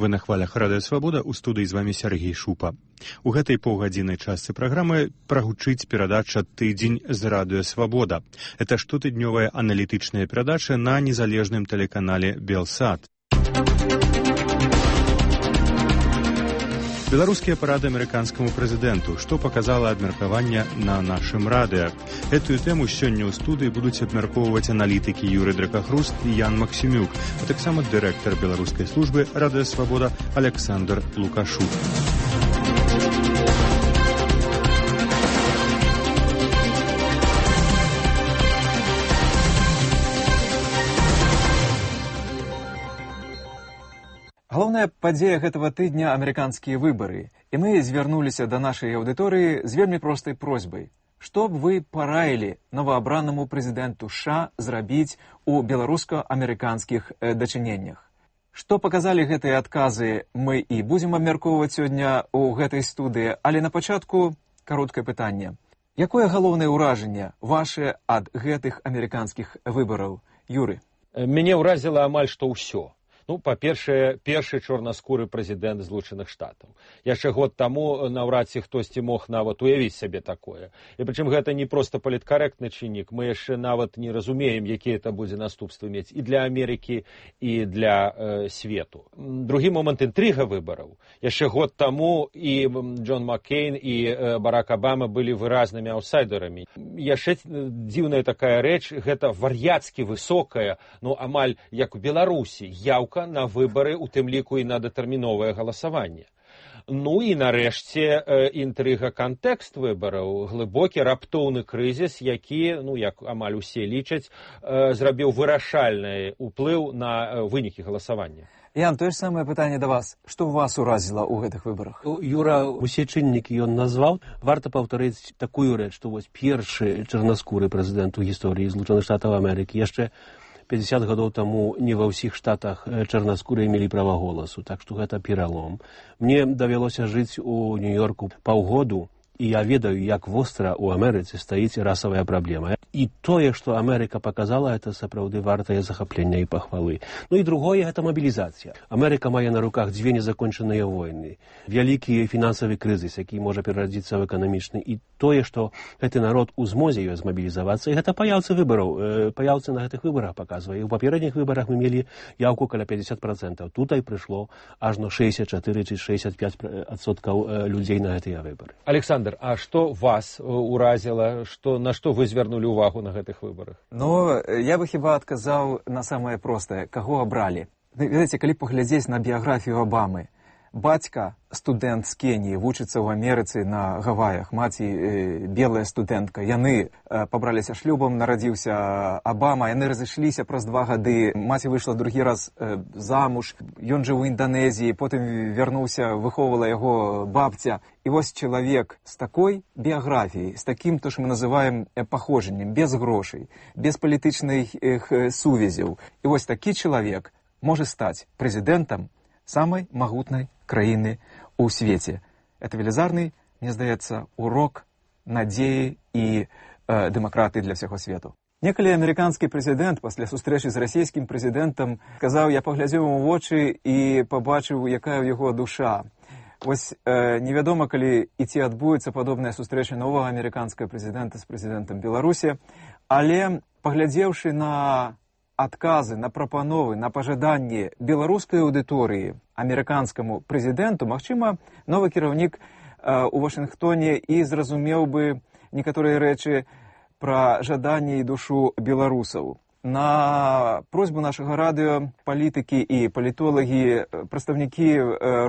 Вы на хвалях Радыё Свабода, у студыі з вамі Сергей Шупа. У гэтай паўгадзіннай частцы праграмы прагучыць перадача «Тыдзень з Радыё Свабода». Это штотыднёвая аналітычная перадача на незалежным тэлеканале «Белсат». Беларускія парады амерыканскаму прэзідэнту, што паказала абмеркаванне на нашым радыё. Гэтую тэму сёння ў студыі будуць абмяркоўваць аналітыкі Юрый Дракахруст і Ян Максімюк, а таксама дырэктар беларускай службы Радыё Свабода Александр Лукашук. Галоўная падзея гэтага тыдня – амерыканскія выбары. І мы звярнуліся да нашай аўдыторыі з вельмі простай просьбай. Што б вы параілі новаабранаму прэзідэнту США зрабіць у беларуска-амерыканскіх дачыненнях? Што паказалі гэтыя адказы, мы і будзем абмяркоўваць сёння ў гэтай студыі, але на пачатку кароткае пытанне. Якое галоўнае ўражанне ваше ад гэтых амерыканскіх выбараў? Юры. Мяне ўразіла амаль што ўсё. Па-першае, першы чорнаскуры прэзідэнт Злучаных Штатаў. Яшчэ год таму наўрад ці хтосьці мог нават уявіць сабе такое. І прычым гэта не проста паліткарэктны чыннік, мы яшчэ нават не разумеем, якія это будзе наступствы мець і для Амерыкі, і для свету. Другі момант — інтрыга выбараў. Яшчэ год таму і Джон Маккейн, і Барак Абама былі выразнымі аўтсайдерамі. Яшчэ дзіўная такая рэч — гэта вар'яцкі высокая, амаль як у Беларусі, яўка на выбары, у тым ліку і на датэрміновае галасаванне. І нарэшце інтрыга кантэкст выбараў, глыбокі раптоўны крызіс, які, як амаль усе лічаць, зрабіў вырашальны ўплыў на вынікі галасавання. Ян, тое ж самае пытанне да вас. Што вас уразіла ў гэтых выбарах? Юра, усе чыннікі ён назваў. Варта паўтарыць такую рэч, што вось першы чарнаскуры прэзідэнт у гісторыі Злучаных Штатаў Амерыкі яшчэ 50 гадоў таму не ва ўсіх штатах чарнаскурыя мелі права голасу, так што гэта пералом. Мне давялося жыць у Нью-Йорку паўгоду, і я ведаю, як востра ў Амерыцы стаіць расавая праблема. І тое, што Амерыка паказала, это сапраўды вартае захаплення і пахвалы. І другое — гэта мабілізацыя. Амерыка мае на руках дзве незакончаныя войны, вялікі фінансавы крызіс, які можа перарадзіцца ў эканамічны, і тое, што гэты народ у змозе ёй змабілізавацца, і гэта паяўцы выбараў. Паяўцы на гэтых выбарах паказвае. У папередніх выбарах мы мелі яўку каля 50%. Тутай прыйшло ажно 64 ці 65% людзей на гэтыя выбары. Александр, а што вас уразіла, на што вы звярнулі ўвагу на гэтых выбарах? Я бы хіба адказаў на самае простае. Каго абралі? Ведаеце, калі паглядзець на біяграфію Абамы, бацька студэнт з Кеніі, вучыцца ў Амерыцы на Гаваях, маці белая студэнтка. Яны пабраліся шлюбам, нарадзіўся Абама, яны разышліся праз 2 гады, маці выйшла другі раз замуж, ён жыў у Інданезіі, потым вярнуўся, выхоўвала яго бабця. І вось чалавек з такой біяграфіяй, з такім, то, што мы называем паходжаннем, без грошай, без палітычных сувязяў. І вось такі чалавек можа стаць прэзідэнтам самай магутнай краіны ў свеце. Это велізарны, мне здаецца, урок надзеі і дэмакратыі для ўсяго свету. Некалі амерыканскі прэзідэнт пасля сустрэчы з расійскім прэзідэнтам сказаў: я паглядзеў у вочы і пабачыў, якая ў яго душа. Вось невядома, калі і ці адбудзецца падобная сустрэча новага амерыканскага прэзідэнта з прэзідэнтам Беларусі, але паглядзеўшы на адказы, на прапановы, на пажаданні беларускай аўдыторыі амерыканскаму прэзідэнту, магчыма, новы кіраўнік у Вашынгтоне і зразумеў бы некаторыя рэчы пра жаданне і душу беларусаў. На просьбу нашага радыё палітыкі і палітолагі, прадстаўнікі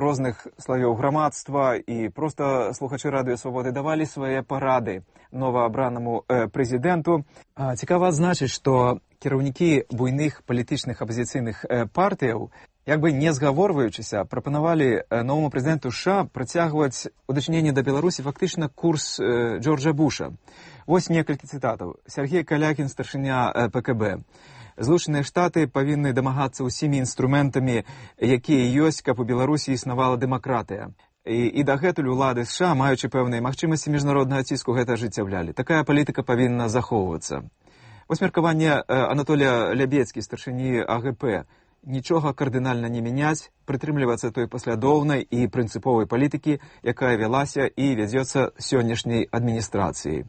розных слаёў грамадства і проста слухачы Радыё Свабоды давалі свае парады новаабранаму прэзідэнту. Цікава адзначыць, што кіраўнікі буйных палітычных апазіцыйных партыяў, як бы не згаворваючыся, прапанавалі новаму прэзідэнту США працягваць у дачыненні да Беларусі фактычна курс Джорджа Буша. Вось некалькі цытатаў. Сергей Калякін, старшыня ПКБ. Злучаныя Штаты павінны дамагацца ўсімі інструментамі, якія ёсць, каб у Беларусі існавала дэмакратыя. І дагэтуль улады США, маючы пэўныя магчымасці міжнароднага ціску, гэта ажыццяўлялі. Такая палітыка павінна захоўвацца. Вось меркаванне Анатолія Лябецкі, старшыні АГП. нічога кардынальна не мяняць, прытрымлівацца той паслядоўнай і прынцыповай палітыкі, якая вялася і вядзецца сённяшняй адміністрацыяй.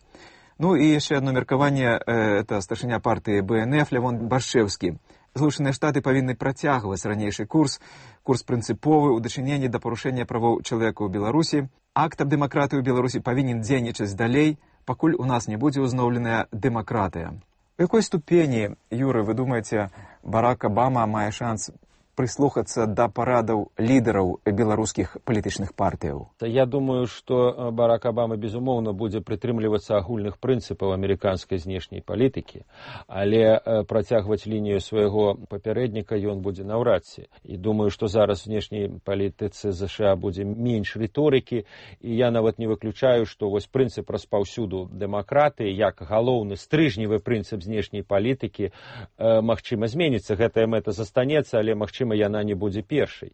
Ну і яшчэ одно меркаванне, это старшыня партыі БНФ Лявон Баршчэўскі. Злучаныя Штаты павінны працягваць ранейшы курс прынцыповы ў дачыненні да парушэння правоў чалавека ў Беларусі. Акт аб дэмакратыі ў Беларусі павінен дзейнічаць далей, пакуль у нас не будзе ўзноўленая дэмакратыя. У якой ступені, Юры, вы думаеце, Барак Абама мае шанс прыслухацца да парадаў лідараў беларускіх палітычных партыяў? Я думаю, што Барак Абама, безумоўна, будзе прытрымлівацца агульных прынцыпаў амерыканскай знешняй палітыкі, але працягваць лінію свайго папярэдніка ён будзе наўрад ці. І думаю, што зараз у знешняй палітыцы ЗША будзе менш рыторыкі, і я нават не выключаю, што вось прынцып распаўсюду дэмакратыі, як галоўны стрыжневы прынцып знешняй палітыкі, магчыма, зменіцца. Гэтая мэта застанецца, але, магчыма, яна не будзе першай.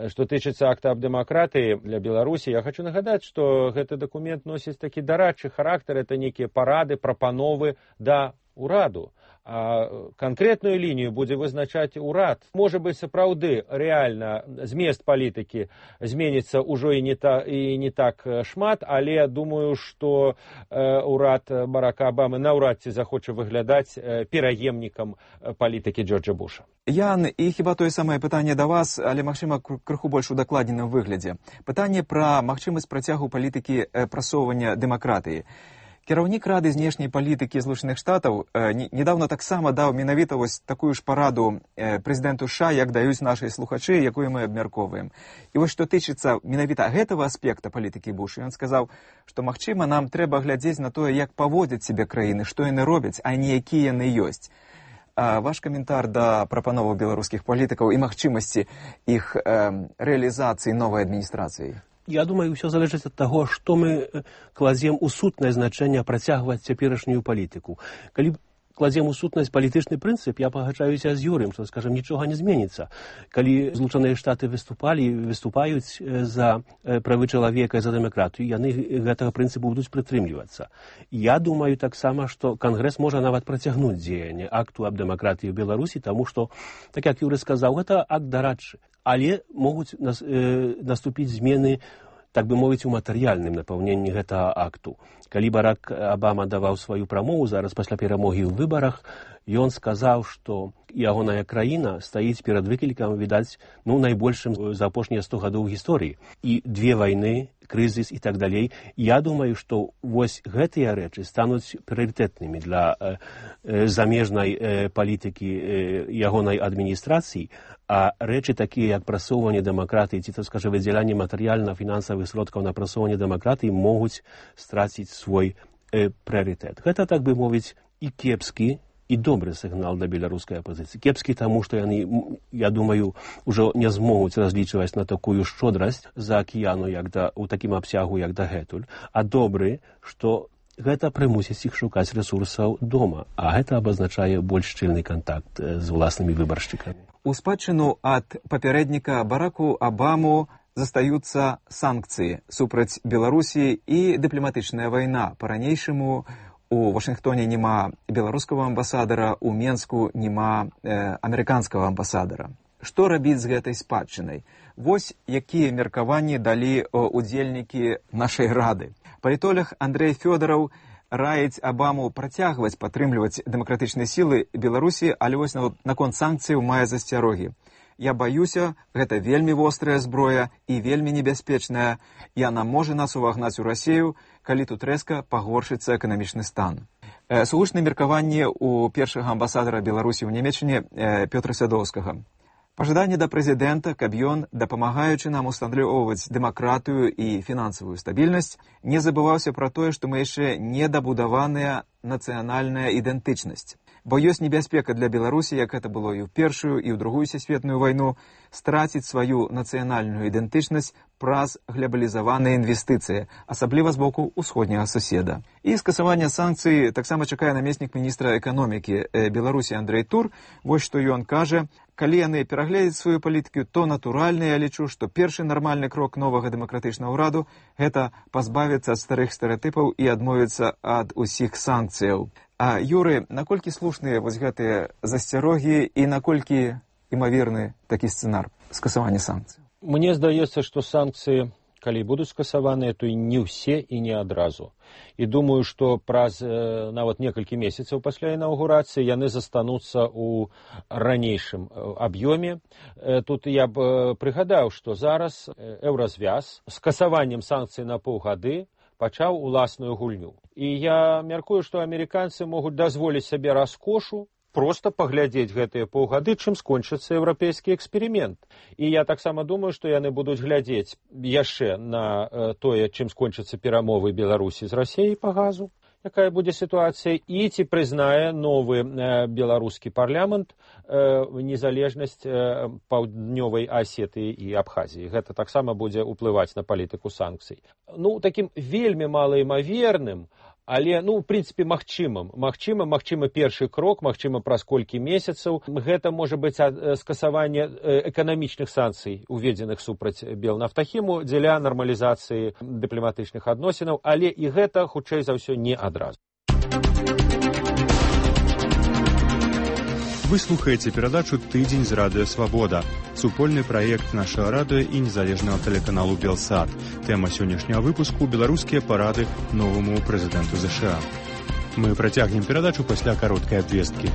Што тычыцца акта аб дэмакратыі для Беларусі, я хочу нагадаць, што гэты дакумент носіць такі дарадчы характар, это нейкія парады, прапановы да ўраду. А канкрэтную лінію будзе вызначаць урад. Можа быць, сапраўды, рэальна змест палітыкі зменіцца ўжо і не так шмат, але думаю, што урад Барака Абамы наўрад ці захоча выглядаць пераемнікам палітыкі Джорджа Буша. Ян, і хіба тое самае пытанне да вас, але, магчыма, крыху больш удакладненым выглядзе. Пытанне пра магчымасць працягу палітыкі прасоўвання дэмакратыі. Кіраўнік Рады знешняй палітыкі Злучаных Штатаў недавно таксама даў менавіта вось такую ж параду прэзідэнту США, як даюць нашыя слухачы, якую мы абмяркоўваем. І вось што тычыцца менавіта гэтага аспекта палітыкі Буша, ён сказаў, што, магчыма, нам трэба глядзець на тое, як паводзяць сябе краіны, што яны робяць, а не якія яны ёсць. Ваш каментар да прапановаў беларускіх палітыкаў і магчымасці іх рэалізацыі новай адміністрацыі? Я думаю, ўсё залежыць ад таго, што мы кладзем у сутнае значэнне працягваць цяперашнюю палітыку. Калі кладзем у сутнасць палітычны прынцып, я пагаджаюся з Юрыем, што, скажам, нічога не зменіцца. Калі Злучаныя Штаты выступаюць за правы чалавека і за дэмакратыю, яны гэтага прынцыпу будуць прытрымлівацца. Я думаю таксама, што Кангрэс можа нават працягнуць дзеянне акту аб дэмакратыі ў Беларусі, таму што, так як Юры сказаў, гэта акт дарадчы. Але могуць наступіць змены, так бы мовіць, у матэрыяльным напаўненні гэтага акту. Калі Барак Абама даваў сваю прамову зараз пасля перамогі ў выбарах, ён сказаў, што ягоная краіна стаіць перад выклікам, відаць, найбольшым за апошнія 100 гадоў гісторыі. І 2 вайны, крызіс і так далей. Я думаю, што вось гэтыя рэчы стануць прыярытэтнымі для замежнай палітыкі ягонай адміністрацыі, а рэчы такія, як прасоўванне дэмакратыі, ці, так скажа, выдзяленне матэрыяльна-фінансавых сродкаў на прасоўванне дэмакратыі могуць страціць свой прыярытэт. Гэта, так бы мовіць, і кепскі, і добры сігнал да беларускай апозіцыі. Кепскі таму, што яны, я думаю, ужо не змогуць разлічваць на такую шчодрасць за акіяну у такім абсягу, як дагэтуль, а добры, што гэта прымусіць іх шукаць рэсурсаў дома, а гэта абазначае больш шчыльны кантакт з уласнымі выбаршчыкамі. У спадчыну ад папярэдніка Бараку Абаму застаюцца санкцыі супраць Беларусі і дыпламатычная вайна. Па-ранейшаму у Вашынгтоне няма беларускага амбасадара, у Менску няма амерыканскага амбасадара. Што рабіць з гэтай спадчынай? Вось якія меркаванні далі удзельнікі нашай рады. Палітолог Андрэй Фёдараў раіць Абаму працягваць падтрымліваць дэмакратычныя сілы Беларусі, але вось наконт санкцыяў мае засцярогі. Я баюся, гэта вельмі вострая зброя і вельмі небяспечная. Яна можа нас увагнаць у Расію, калі тут рэзка пагоршыцца эканамічны стан. Сугучнае меркаванне у першага амбасадара Беларусі ў Нямецчыне Пётра Сядоўскага. Пажаданне да прэзідэнта, каб ён, дапамагаючы нам усталёўваць дэмакратыю і фінансавую стабільнасць, не забываўся пра тое, што мы яшчэ недабудаваная нацыянальная ідэнтычнасць. Бо ёсць небяспека для Беларусі, як гэта было і ў Першую, і ў Другую сусветную вайну, страціць сваю нацыянальную ідэнтычнасць праз глобалізаваныя інвестыцыі, асабліва з боку ўсходняга суседа. І скасаванне санкцый таксама чакае намеснік міністра эканомікі Беларусі Андрэй Тур. Вось што ён кажа: калі яны перагледзяць сваю палітыку, то натуральна я лічу, што першы нармальны крок новага дэмакратычнага ўраду – гэта пазбавіцца ад старых стэрэатыпаў і адмовіцца ад усіх санкцыяў. А, Юры, наколькі слушныя вось гэтыя засцярогі і наколькі імаверны такі сцэнар скасавання санкцый? Мне здаецца, што санкцыі, калі будуць скасаваныя, то і не ўсе і не адразу. І думаю, што праз нават некалькі месяцаў пасля інаўгурацыі яны застануцца ў ранейшым аб'ёме. Тут я б прыгадаў, што зараз Еўразвяз з скасаваннем санкцый на паўгады пачаў уласную гульню. І я мяркую, што амерыканцы могуць дазволіць сабе раскошу проста паглядзець гэтыя паўгады, чым скончыцца еўрапейскі эксперымент. І я таксама думаю, што яны будуць глядзець яшчэ на тое, чым скончацца перамовы Беларусі з Расіяй па газу, якая будзе сітуацыя, і ці прызнае новы беларускі парламент незалежнасць Паўднёвай Асетыі і Абхазіі. Гэта таксама будзе ўплываць на палітыку санкцый. Ну, такім вельмі малаімаверным, але, ну, в прынцыпе, магчымы першы крок, магчыма, праз колькі месяцаў. Гэта можа быць скасаванне эканамічных санкцый, уведзеных супраць Белнафтахіму дзеля нармалізацыі дыпламатычных адносінаў, але і гэта, хутчэй за ўсё, не адразу. Вы слухаеце перадачу «Тыдзень з радыё Свабода», супольны праект нашага радыё і незалежнага тэлеканалу «Белсат». Тэма сённяшняга выпуску – беларускія парады новаму прэзідэнту ЗША. Мы працягнем перадачу пасля кароткай абвесткі.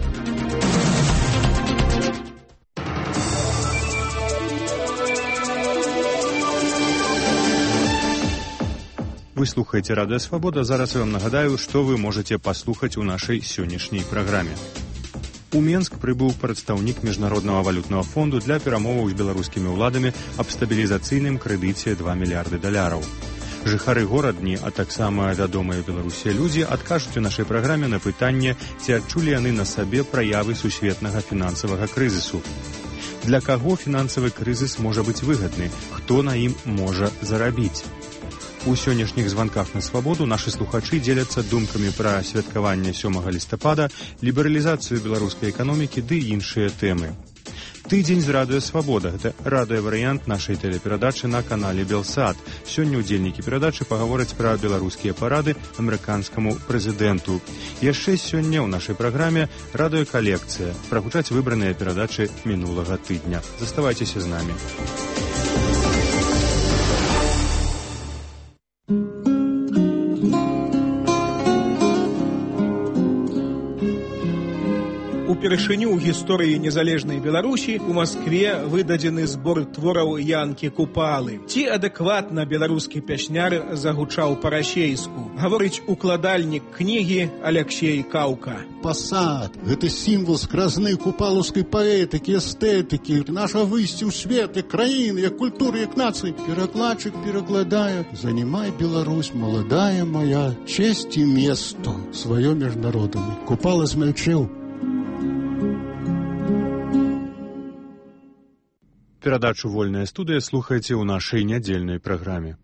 Вы слухаеце радыё Свабода. Зараз я вам нагадаю, што вы можаце паслухаць у нашай сённяшняй праграме. У Менск прыбыў прадстаўнік Міжнароднага валютнага фонду для перамоваў з беларускімі ўладамі аб стабілізацыйным крэдыце $2 мільярды. Жыхары горадні, а таксама вядомыя Беларусі людзі адкажуць у нашай праграме на пытанне, ці адчулі яны на сабе праявы сусветнага фінансавага крызісу. Для каго фінансавы крызіс можа быць выгадны? Хто на ім можа зарабіць? У сённяшніх званках на Свабоду нашы слухачы дзеляцца думкамі пра святкаванне 7 лістапада, лібералізацыю беларускай эканомікі ды іншыя тэмы. Тыдзень з радыё Свабода – гэта радыёварыянт нашай тэлеперадачы на канале Белсат. Сёння ўдзельнікі перадачы пагавораць пра беларускія парады амерыканскаму прэзідэнту. Яшчэ сёння ў нашай праграме радыёкалекцыя. Прагучаць выбраныя перадачы мінулага тыдня. Заставайцеся з намі. Упершыню ў гісторыі незалежнай Беларусі у Маскве выдадзены збор твораў Янкі Купалы. Ці адэкватна беларускі пясняр загучаў па-расейску, гаворыць укладальнік кнігі Аляксей Каўка. Пасад – гэта сімвал скразны купалаўскай паэтыкі, эстэтыкі, наша выйсце ў свет, як краіны, як культуры, як нацыі. Перакладчык перакладае: «Занимай, Беларусь, молодая моя, честь и место свое международное». Купала змялчэў. Перадачу «Вольная студыя» слухаеце ў нашай нядзельнай праграме.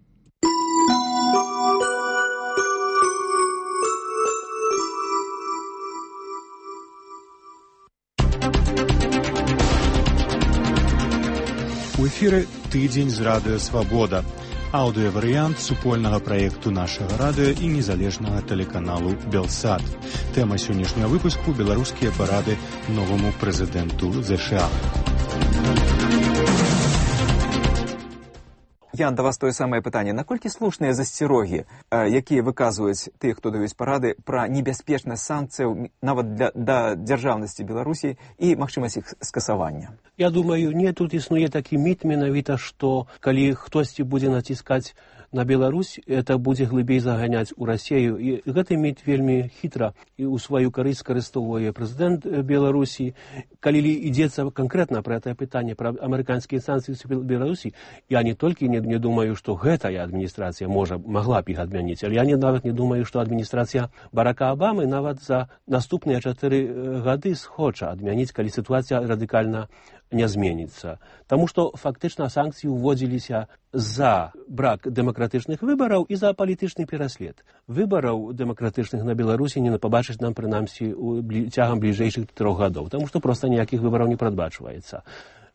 У эфіры «Тыдзень з радыё Свабода». Аўдыёварыянт супольнага праекту нашага радыё і незалежнага тэлеканалу «Белсат». Тэма сённяшняга выпуску – беларускія парады новаму прэзідэнту ЗША. Ян, да вас тое самае пытанне. Наколькі слушныя засцерогі, якія выказваюць тыя, хто даюць парады, пра небяспечнасць санкцыяў нават да дзяржаўнасці Беларусі і магчымасць іх скасавання? Я думаю, не, тут існуе такі міт менавіта, што калі хтосьці будзе націскаць на Беларусь, это будзе глыбей заганяць у Расію. І гэты міт вельмі хітра і ў сваю карысць скарыстоўвае прэзідэнт Беларусі. Калі ідзецца канкрэтна пра гэтае пытанне, пра амерыканскія санкцыі ў Беларусі, я не толькі не думаю, што гэтая адміністрацыя магла б іх адмяніць, але я нават не думаю, што адміністрацыя Барака Абамы нават за наступныя 4 гады схоча адмяніць, калі сітуацыя радыкальна не зменіцца. Таму што фактычна санкцыі ўводзіліся за брак дэмакратычных выбараў і за палітычны пераслед. Выбараў дэмакратычных на Беларусі не пабачыць нам, прынамсі, цягам бліжэйшых 3 гадоў, таму што проста ніякіх выбараў не прадбачваецца.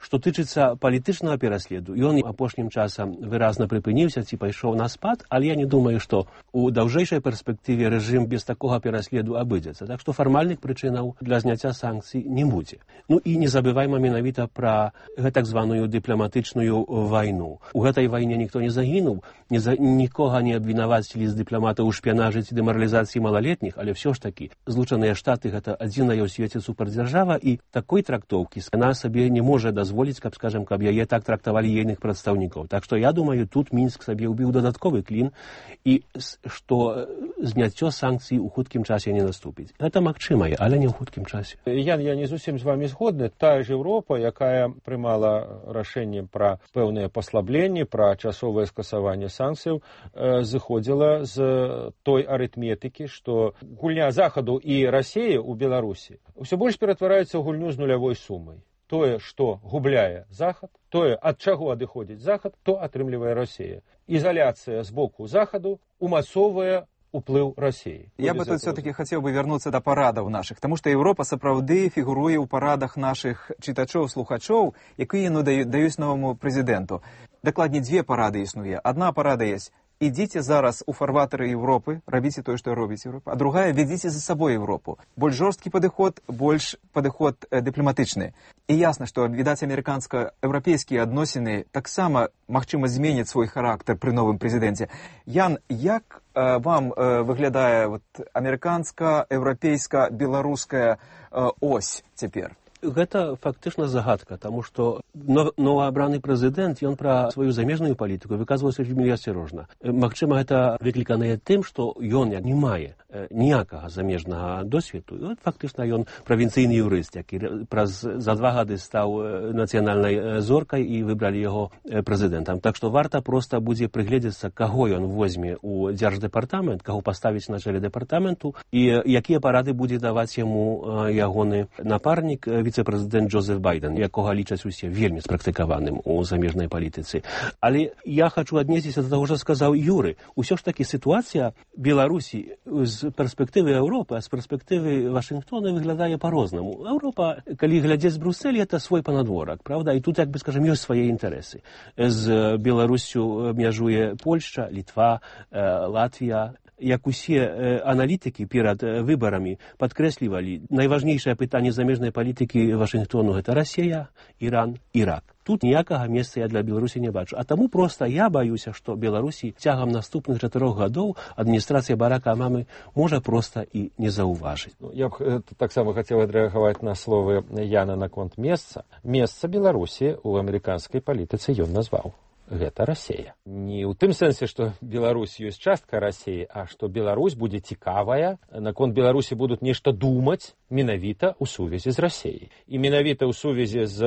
Што тычыцца палітычнага пераследу, ён апошнім часам выразна прыпыніўся ці пайшоў на спад, але я не думаю, што у даўжэйшай перспектыве рэжым без такога пераследу абыдзецца. Так што фармальных прычынаў для зняцця санкцый не будзе. Ну і не забывайма менавіта пра гэтак званую дыпламатычную вайну. У гэтай вайне ніхто не загінуў, нікога не абвінавацілі з дыпламатаў у шпіянажы ці дэмаралізацыі малалетніх, але ўсё ж такі Злучаныя Штаты гэта адзіная ў свеце супердзяржава, і такой трактоўкі яна сабе не можа дазволіць, каб яе так трактавалі ейных прадстаўнікоў. Так што я думаю, тут Мінск сабе ўбіў дадатковы клін, і што зняццё санкцый у хуткім часе не наступіць. Гэта магчымае, але не ў хуткім часе. Я не зусім з вами згодны. Тая ж Еўропа, якая прымала рашэнне пра пэўныя паслабленні, пра часовае скасаванне санкцыяў, зыходзіла з той арытметыкі, што гульня Захаду і Расіі ў Беларусі ўсё больш ператвараецца ў гульню з нулявой сумай. Тое, што губляе Захад, тое, ад чаго адыходзіць Захад, то атрымлівае Расія. Изоляция з боку Захаду умацоўвае уплыў Расіі. Я бы тут все-таки хотел бы вернуться до парадов наших, потому что Европа сапраўды фігуруе ў парадах наших читачоў, слухачоў, якія даюць новому президенту. Дакладней, две парады існуе. Одна парада есть: ідзіце зараз у фарватары Европы, рабіце тое, што робіць Европа. А другая: ведзіце за сабой Европу. Больш жорсткі падыход, больш падыход дыпламатычны. І ясна, што, відаць, амерыканска-еўрапейскія адносіны таксама, магчыма, зменяць свой характар пры новым прэзідэнце. Ян, як вам выглядае амерыканска-еўрапейска-беларуская ось цяпер? Гэта фактычна загадка, таму што новаабраны прэзідэнт, ён пра сваю замежную палітыку выказваўся вельмі асцярожна. Магчыма, гэта выкліканае тым, што ён не мае ніякага замежнага досведу. Фактычна ён правінцыйны юрыст, які за 2 гады стаў нацыянальнай зоркай і выбралі яго прэзідэнтам. Так што варта проста будзе прыгледзецца, каго ён возьме ў дзярждэпартамент, каго паставіць на чале дэпартаменту, і якія парады будзе даваць яму ягоны напарнік, віцэ-прэзідэнт Джозеф Байден, якога лічаць усе вельмі спрактыкаваным у замежнай палітыцы. Але я хачу аднесціся да таго, што сказаў Юры. Усё ж такі сітуацыя Беларусі з перспектывы Еўропы, а з перспектывы Вашынгтона выглядае па-рознаму. Еўропа, калі глядзець з Брусселя, это свой панадворак, правда? І тут, як бы скажем, ёсць свае інтарэсы. З Беларуссю мяжуе Польшча, Літва, Латвія. Як усе аналітыкі перад выбарамі падкрэслівалі, найважнейшае пытанне замежнай палітыкі Вашынгтону — гэта Расія, Іран, Ірак. Тут ніякага месца я для Беларусі не бачу. А таму проста я баюся, што Беларусі цягам наступных 4 гадоў адміністрацыя Барака Абамы можа проста і не заўважыць. Я б таксама хацеў адрэагаваць на словы Яна наконт месца. Месца Беларусі ў амерыканскай палітыцы ён назваў. Гэта Расія. Не ў тым сэнсе, што Беларусь ёсць частка Расіі, а што Беларусь будзе цікавая, наконт Беларусі будуць нешта думаць менавіта ў сувязі з Расіяй. І менавіта ў сувязі з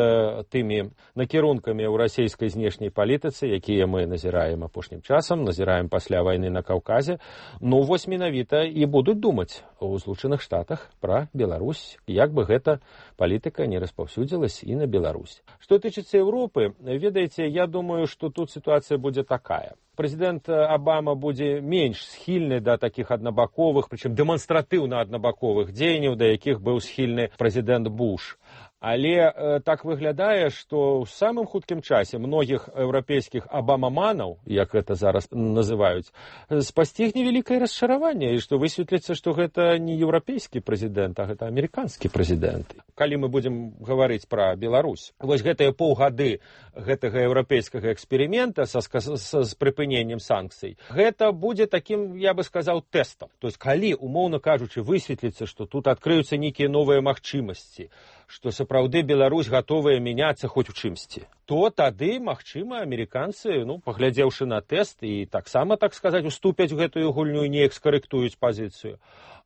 тымі накірункамі ў расійскай знешняй палітыцы, якія мы назіраем апошнім часам, назіраем пасля вайны на Каўказе, вось менавіта і будуць думаць у Злучаных Штатах пра Беларусь, як бы гэта палітыка не распаўсюдзілась і на Беларусь. Што тычыцца Еўропы, ведаеце, я думаю, што тут ситуация будет такая. Президент Обама будет меньш схильны до таких однобаковых, причем демонстративно однобаковых дзеянняў, до якіх был схильны президент Буш. Але так выглядае, што ў самым хуткім часе многіх еўрапейскіх абамаманаў, як гэта зараз называюць, спасцігне вялікае расчараванне, і што высветліцца, што гэта не еўрапейскі прэзідэнт, а гэта амерыканскі прэзідэнт. Калі мы будзем гаварыць пра Беларусь, вось гэтыя паўгады гэтага еўрапейскага эксперымента з прыпыненнем санкцый, гэта будзе такім, я бы сказаў, тэстам. То есть, калі, умоўна кажучы, высветліцца, што тут адкрыюцца нейкія новыя магчымасці, што сапраўды Беларусь гатовая мяняцца хоць у чымсьці, то тады, магчыма, амерыканцы, паглядзеўшы на тэст і таксама, так сказаць, уступяць гэтую гульню і неяк скарэктуюць пазіцыю.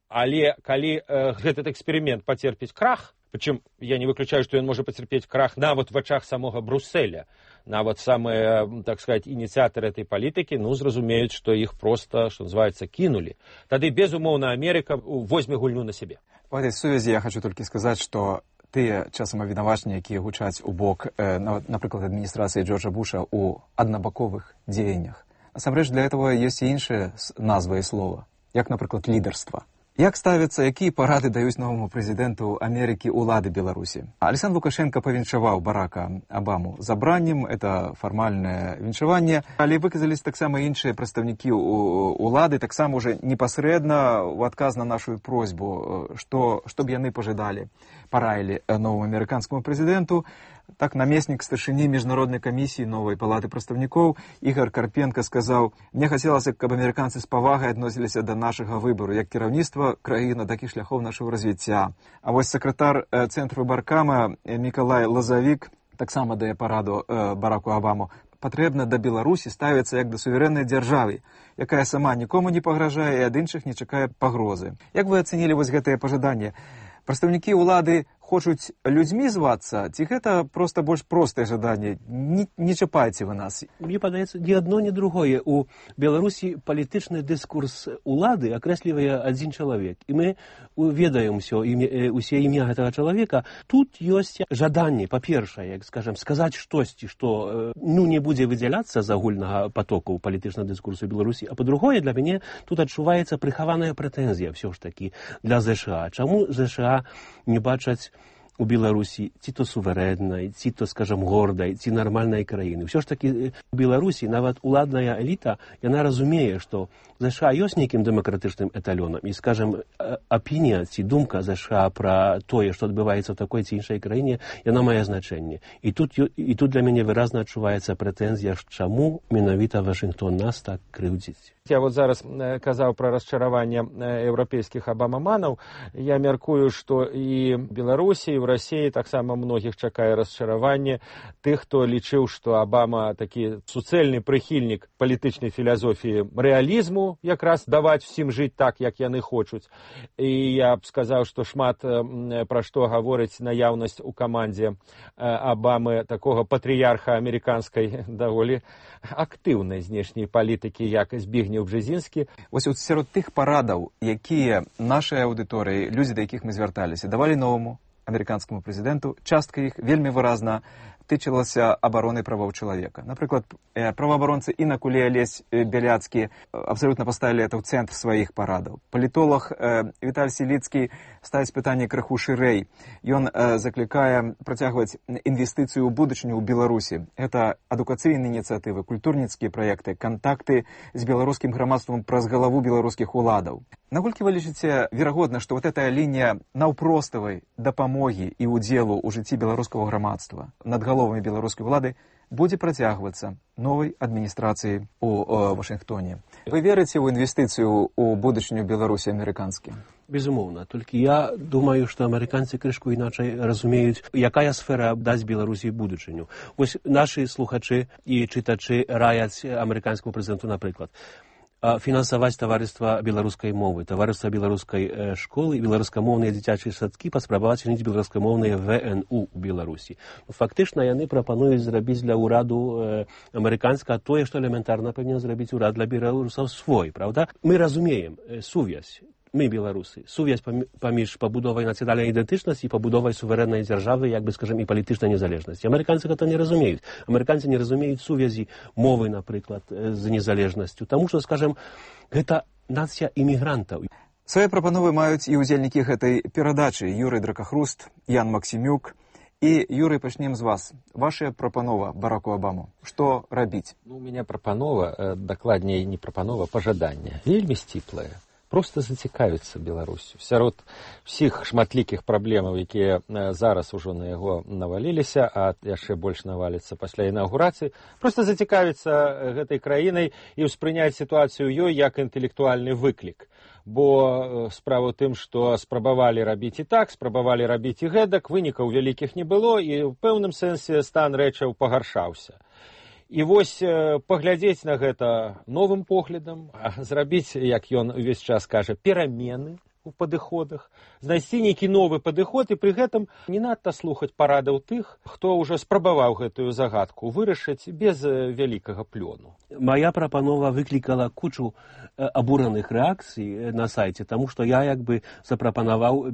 Але калі гэты эксперымент пацерпіць крах, причем я не выключаю, что он может потерпеть крах нават в вачах самого Брусселя. Нават самые, так сказать, инициаторы этой политики, зразумеюць, что их просто, что называется, кинули. Тады, безумоўна, Америка возьме гульню на себе. В этой связи я хочу только сказать, что тыя часам абвінавачанні, якія гучаць у бок, напрыклад, адміністрацыі Джорджа Буша ў аднабаковых дзеяннях. Насамрэч, для этого есть і іншыя назвы і слова, як, напрыклад, лідарства. Як ставяцца, якія парады даюць новаму прэзідэнту Амерыкі ўлады Беларусі? Александр Лукашенко павіншаваў Барака Абаму забраннем, это фармальнае віншаванне, але выказались таксама іншыя прадстаўнікі ўлады, таксама уже непасрэдна ў адказ на нашу просьбу, што б яны пажадалі, параілі новому амерыканскому прэзідэнту. Так, намеснік старшыні міжнароднай камісіі новай палаты прадстаўнікоў Ігор Карпенко сказаў: «Мне хацелася, каб амерыканцы з павагай адносіліся да нашага выбару, як кіраўніцтва краіны, так і шляхоў нашага развіцця». А вось сакратар цэнтру Баркама Мікалай Лазавік таксама дае параду Бараку Абаму: «Патрэбна да Беларусі ставіцца як да суверэннай дзяржавы, якая сама нікому не пагражае і ад іншых не чакае пагрозы». Як вы ацэнілі вось гэтае пажаданне? Прадстаўнікі ўлады хочуць людзьмі звацца, ці гэта проста больш простае жаданне? Не чапайце вы нас. Мне падаецца, ні адно, ні другое. У Беларусі палітычны дыскурс улады акрэслівае адзін чалавек. І мы ведаем усе імя гэтага чалавека. Тут ёсць жаданне, па-першае, як скажем, сказаць штосьці, што не будзе выдзяляцца з агульнага патоку палітычнага дыскурсу Беларусі. А па-другое, для мяне тут адчуваецца прыхаваная прэтэнзія ўсё ж такі для ЗША. Чаму ЗША не бачаць у Беларусі ці то суверэннай, ці то, скажем, гордай, ці нармальнай краіны. Ўсё ж такі у Беларусі нават уладная эліта, яна разумее, што ЗША ёсць нейкім дэмакратычным эталёнам. І, скажем, апінія ці думка ЗША пра тое, што адбываецца ў такой ці іншай краіне, яна мае значэнне. І тут для мяне выразна адчуваецца прэтэнзія, чаму менавіта Вашынгтон нас так крыўдзіць. Я вот зараз казаў пра расчараванне еўрапейскіх абамаманаў. Я мяркую, што і Беларусі, і ў Расіі таксама многіх чакае расчараванне тых, хто лічыў, што Абама такі суцэльны прыхільнік палітычнай філасофіі рэалізму, якраз даваць усім жыць так, як яны хочуць. І я б сказаў, што шмат пра што гаворыць наяўнасць у камандзе Абамы такога патрыярха амерыканскай даволі актыўнай знешняй палітыкі, як Збігнеў Бжезінскі. Вось сярод тых парадаў, якія нашай аўдыторыі, людзі, да якіх мы звярталіся, давалі новаму амерыканскаму прэзідэнту, частка іх вельмі выразна тычылася абароны правоў чалавека. Напрыклад, праваабаронцы Інакуле Алесь Бяляцкі абсалютна паставілі это ў цэнтр сваіх парадаў. Палітолог Віталь Селіцкі ставіць пытанне крыху шырэй. Ён заклікае працягваць інвестыцыю ў будучыню ў Беларусі. Гэта адукацыйныя ініцыятывы, культурніцкія праекты, кантакты з беларускім грамадствам праз галаву беларускіх уладаў. Наколькі вы лічыце верагодна, што вот эта лінія наўпроставай дапамогі і ўдзелу ў жыцці беларускага грамадства над галовамі беларускай улады будзе працягвацца новай адміністрацыяй у Вашынгтоне? Вы верыце ў інвестыцыю ў будучыню Беларусі амерыканскі? Безумоўна. Толькі я думаю, што амерыканцы крышку іначай разумеюць, якая сфера дасць Беларусі будучыню. Вось нашы слухачы і чытачы раяць амерыканскаму прэзідэнту, напрыклад, фінансаваць таварыства беларускай мовы, таварыства беларускай школы, беларускамоўныя дзіцячыя садкі, паспрабаваць чыніць беларускамоўныя ВНУ ў Беларусі. Фактычна яны прапануюць зрабіць для ўраду амерыканска тое, што элементарна павінен зрабіць урад для беларусаў свой, правда? Мы разумеем сувязь. Мы, беларусы, сувязь паміж пабудовай нацыянальнай ідэнтычнасці і пабудовай суверэннай дзяржавы, як бы, скажем, і палітычнай незалежнасці. Амерыканцы гэта не разумеюць. Амерыканцы не разумеюць сувязі мовы, напрыклад, з незалежнасцю. Таму што, скажем, гэта нацыя імігрантаў. Свае прапановы маюць і ўдзельнікі гэтай перадачы: Юрый Дракахруст, Ян Максімюк. І, Юрый, пачнем з вас. Ваша прапанова Бараку Абаму. Што рабіць? У мяне прапанова, дакладней не прапанова, пажаданне. Вельмі сціплае. Просто зацікавіцца Беларусю. Сярод усіх шматлікіх праблемаў, якія зараз ужо на яго наваліліся, а яшчэ больш наваліцца пасля інаўгурацыі, просто зацікавіцца гэтай краінай і ўспрыняць сітуацыю ёй як інтэлектуальны выклік. Бо справа ў тым, што спрабавалі рабіць і так, спрабавалі рабіць і гэтак, вынікаў вялікіх не было, і ў пэўным сэнсе стан рэчаў пагаршаўся. І вось паглядзець на гэта новым поглядам, зрабіць, як ён увесь час кажа, перамены у падыходах, знайсці нейкі новы падыход і пры гэтым не надта слухаць парадаў тых, хто ўжо спрабаваў гэтую загадку вырашыць без вялікага плёну. Моя прапанова выклікала кучу абураных рэакцый на сайце, таму што я як бы запрапанаваў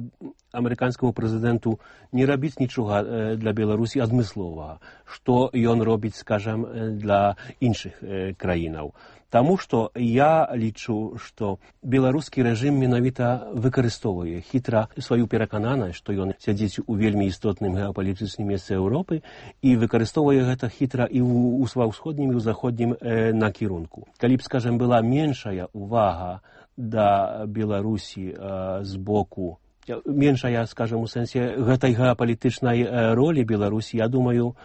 амерыканскаму прэзідэнту не рабіць нічога для Беларусі адмысловага, што ён робіць, скажам, для іншых краінаў. Таму што я лічу, што беларускі рэжым менавіта выкарыстоўвае хітра сваю перакананасць, што ён сядзіць у вельмі істотным геапалітычным месцы Еўропы і выкарыстоўвае гэта хітра і ва ўсходнім і ў заходнім накірунку. Калі б, скажам, была меншая увага да Беларусі з боку, меншая, скажам, у сэнсе гэтай геапалітычнай ролі Беларусі, я думаю,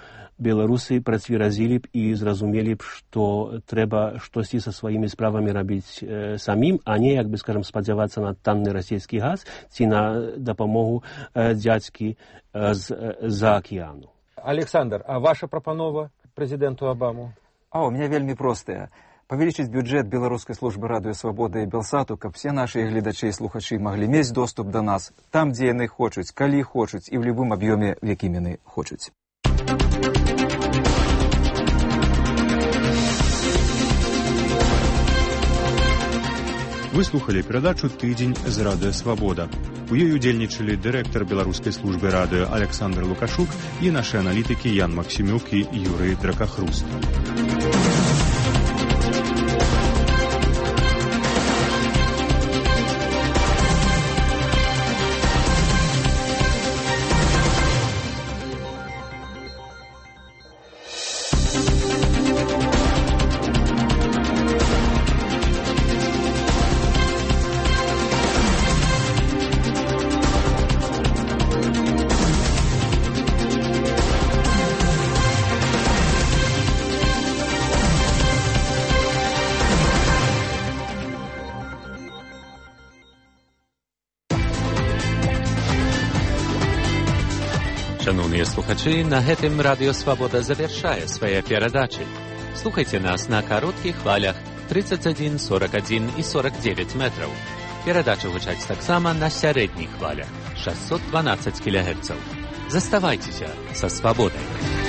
беларусы працверазілі б і зразумелі б, што трэба штосьці са сваімі справамі рабіць самім, а не, як бы, скажам, спадзявацца на танны расійскі газ ці на дапамогу дзядзькі з-за акіяну. Александр, а ваша прапанова прэзідэнту Абаму? У меня вельмі простая. Павялічыць бюджэт беларускай службы радыё Свабода і Белсату, каб все нашыя гледачы і слухачы маглі мець доступ да нас там, дзе яны хочуць, калі хочуць і ў любым аб'ёме, в якім яны хочуць. Вы слухали перадачу «Тыдзень з радыё Свабода». У ёй удзельнічалі дырэктар беларускай службы радыё Александр Лукашук і нашы аналітыкі Ян Максімюк і Юрый Дракахруст. Шановныя слухачы, на гэтым радыё Свабода завяршае свае перадачы. Слухайце нас на кароткіх хвалях 31, 41 і 49 метраў. Перадачы гучаць таксама на сярэдніх хвалях 612 кГц. Заставайцеся са Свабодай.